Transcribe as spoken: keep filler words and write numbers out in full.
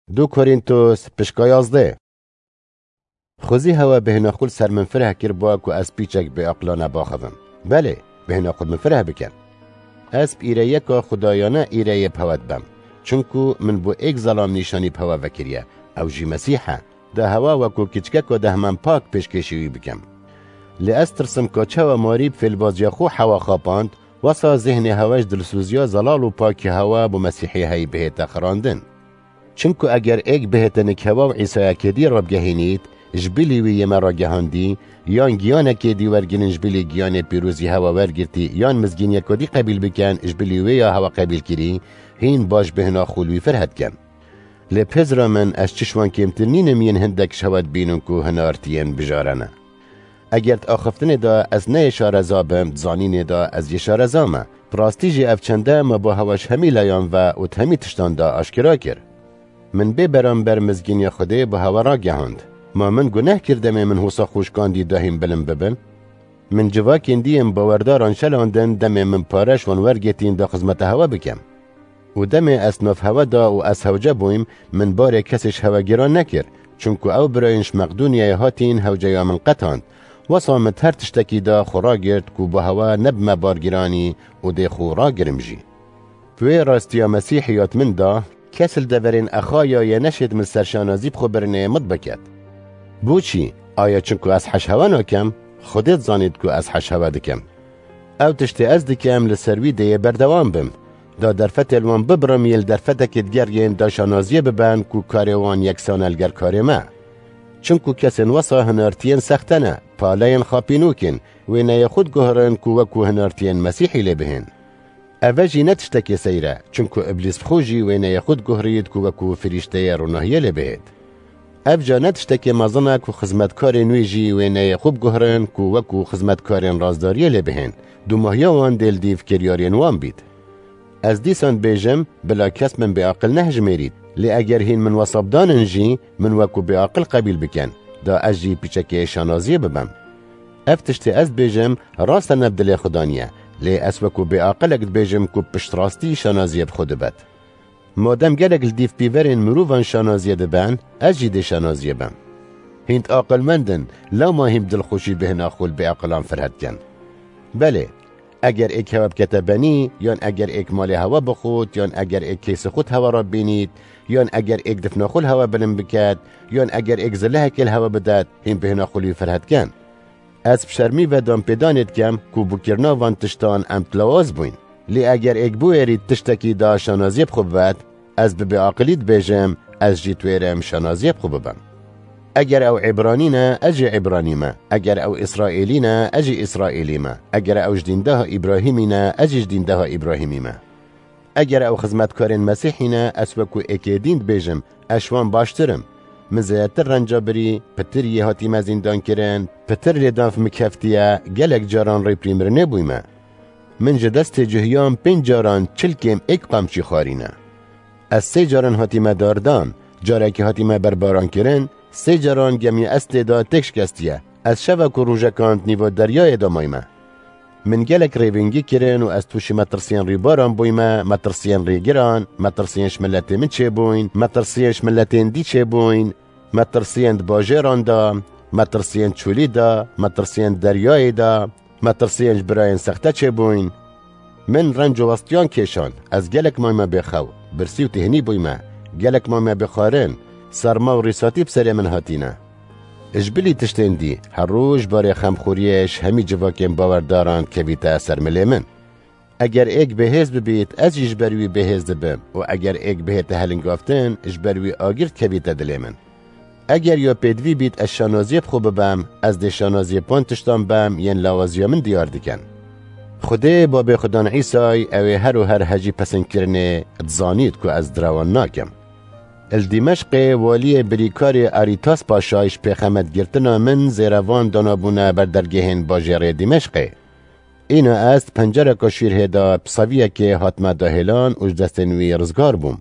Du Korîntos, pişka yazdeh. Xwezî hewe bêhna xwe li ser min fireh kir, ba ku ez pîçek bêaqilane baxivim. Belê, bêhna xwe min fireh bikin. Ez bi îreyeka xwedayane îreyê bi hewe dibem. Çinku min bo êk zelam nîşanî bi hewe vekiriye, ew jî Mesîh e. Da hewe wekû kiçikeka dehman pak pêşkêşî wî bikim. Lê ez tirsim ka çawa marî bi fêlbaziya xwe hewa xapand, wesa zêhnê hewe ji dilsûziya zelal û pakî hewe bo Mesîhî heyî bihête xirandin. Çimku eger êk bihêtinik hewa û Îsayekê dî rabgehînît, ji bilî wî yê me ragehandî, yan giyanekê dî wergirin ji bilî giyanê pîrozî hewa wergirtî, yan mizgîniyeka dî qebîl bikin ji bilî wê ya hewa qebîl kirî, hîn baş bêhna xwe li wî fireh dikin. Lê pêzira min, ez çi ji wan kêmtir nînim yên hindek ji hewa dibînin ku hinartiyên bijare ne. Eger di axiftinê de ez ne yê şareza bim, di zanînê de ez yê şareza me. Bi rastî jî ev çende me bo hewa ji hemî layan ve û di hemî tiştan de aşkera kir. Min bê beramber mizgîniya Xwedê bo hewa ragehand. Ma min guneh kir demê min hosa xwe şikandî da hîn bilind bibin? Min civakên dî yên bawerdaran şelandin demê min pare ji wan wergirtîn da xizmeta hewa bikim. Û demê ez nav hewe da û ez hewce bûyim, min barê kesê ji hewe giran nekir, çunku ew birayên ji Meqdûniyayê hatîn hewceya min qetand. Wesa min di her tiştekî de xwe ragirt ku bo hewe nebime bargiranî û dê xwe ragirim jî. Bi wê rastiya Mesîhî ya di min de, kes li deverên Exayayê neşêt min ser şanazî bi xwe birinê mit biket. Boçî? Aya çinku ez heş hewe nakem? Xwedê dizanît ku ez heş hewe dikim. Ew tiştê ez dikim li ser wî dê yê berdewam bim. Da derfetê li wan bibirim yên li derfetekê digeriyên da şanaziyê biben ku karê wan yeksan e li ger karê me. Çinku kesên wesa hinartiyên sexte ne, paleyên xapînok in, wêneyê xwe diguhirin ku wekû hinartiyên Mesîhî lê bihên. Eve jî ne tiştekê seyr e, çinku Îblîs bi xwe jî wêneyê xwe diguhirît ku wekû firîşteyê ronahiyê lê bihêt. Ev ca ne tiştekê mezin e ku xizmetkarên wî jî wêneyê xwe biguhirin ku wekû xizmetkarên razdariyê lê bihên, dumahiya wan dê li dîv kiryarên wan bît. Ez dîsan dibêjim, bila kes min bêaqil nehijmêrît, lê eger hîn min wesabdanin jî, min wekû bêaqil qebîl bikin, da ez jî pîçekê şanaziyê bibim. Ev tiştê ez dibêjim, rast e ne bi dilê Xuda niye, lê ez wekû bêaqilek dibêjim ku piştrastî şanaziyê bi xwe dibet. Madem gelek li dîv pîverên mirovan şanaziyê dibin, ez jî dê şanaziyê bim. Hîn aqilmend in, lewma hîn bi dilxweşî bêhna xwe li bêaqilan fireh dikin. Belê, eger êk hewe bikete benî, yan eger êk malê hewe bixwit, yan eger êk keysê xwe di hewe re bînît, yan eger êk difna xwe li hewe bilind biket, yan eger êk zilehekê li hewe bidet, hîn bêhna xwe li wî fireh dikin. Ez bi şermî ve danpêdanê dikim ku bûkirina van tiştan em dilawaz bûyn. Lê eger êk biwêrît tiştekî da şanaziyê bi xwe bibet, ez bi bêaqilî dibêjim, ez jî diwêrim şanaziyê bi xwe bibim. Eger ew Îbranî ne, ez jî Îbranî me. Eger ew Îsraîlî ne, ez jî Îsraîlî me. Eger ew ji dîndeha Îbrahîmî ne, ez jî ji dîndeha Îbrahîmî me. Eger ew xizmetkarên Mesîhî ne, ez wekû êkê dîn dibêjim, ez ji wan baştir im. Min zêdetir renca birî, pitir yê hatîme zîndankirin, pitir lêdan bi min keftiye, gelek caran rêpirî mirinê bûyme. Min ji destê cuhiyan pênc caran çil kêm êk qamçî xwarîne. Ez sê caran hatîme dardan, carekî hatîme berbarankirin, sê caran gemiya ez tê de têk şikestiye. Ez şevek û rojekan di nîva deryayê de mayme. Min gelek rêvîngî kirin û ez tûşî metirsiyên rîbaran bûyme, metirsiyên rêgiran, metirsiyên ji miletê min çêbûyn, metirsiyên ji miletên dî çêbûyn, metirsiyên di bajêran de, metirsiyên çolî de, metirsiyên deryayê de, metirsiyên ji birayên sexte çêbûyn. Min renc û westiyan kêşan, ez gelek mayme bêxew, birsî û têhnî bûyme, gelek mayme bêxwarin, serma û rîsatî bi serê min hatîne. Ji bilî tiştên dî, her roj barê xemxoriyê ji hemî civakên bawerdaran dikevîte ser milê min. Eger êk bêhêz bibît, ez jî ji ber wî bêhêz dibim û eger êk bihête helingaftin, ji ber wî agir dikevîte dilê min. Eger ya pêdivî bît ez şanaziyê bi xwe bibem, ez dê şanaziyê van tiştan bem yên lawaziya min diyar dikin. Xwedê babê xwe dan Îsay, ew ê her û her hejî pesindkirinê, dizanît ku ez direwan nakim. Li Dîmeşqê waliyê birîkarê Arîtas Paşay ji pêxemetgirtina min zêrevan danabûne ber dergehên bajêrê Dîmeşqê. Îna ez di pencereka şîrhê de bi seviyekê hatime dahêlan û ji destên wî rizgar bûm.